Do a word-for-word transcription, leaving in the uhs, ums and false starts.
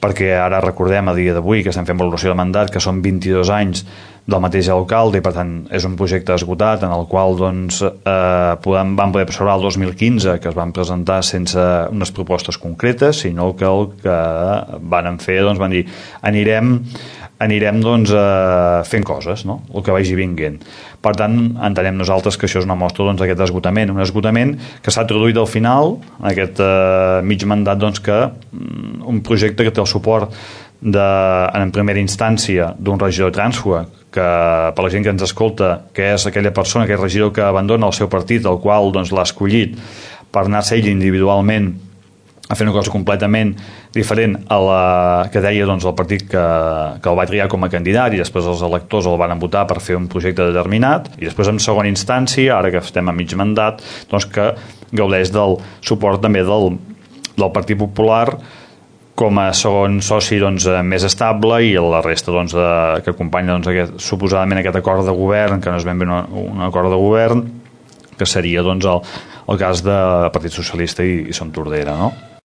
perquè ara recordem a dia d'avui que estem fent valoració de mandat, que són vint-i-dos anys del mateix alcalde, i per tant és un projecte esgotat en el qual doncs, eh, podem, vam poder observar el dos mil quinze que es van presentar sense unes propostes concretes, sinó que el que van fer, doncs van dir anirem anirem doncs, eh, fent coses, no? El que vagi vinguent. Per tant, entenem nosaltres que això és una mostra doncs, d'aquest esgotament, un esgotament que s'ha traduït al final, en aquest eh, mig mandat, doncs, que un projecte que té el suport de, en primera instància d'un regidor trànsfuga, que per la gent que ens escolta, que és aquella persona, aquell regidor que abandona el seu partit, el qual doncs, l'ha escollit per anar-se ell individualment a fer una cosa completament diferent a la que deia doncs, el partit que, que el va triar com a candidat, i després els electors el van votar per fer un projecte determinat, i després en segona instància, ara que estem a mig mandat, doncs, que gaudeix del suport també del, del Partit Popular com a segon soci doncs, més estable, i la resta doncs, de, que acompanya doncs, aquest, suposadament aquest acord de govern, que no és ben bé un acord de govern, que seria doncs, el, el cas del Partit Socialista i, i Som Tordera, no?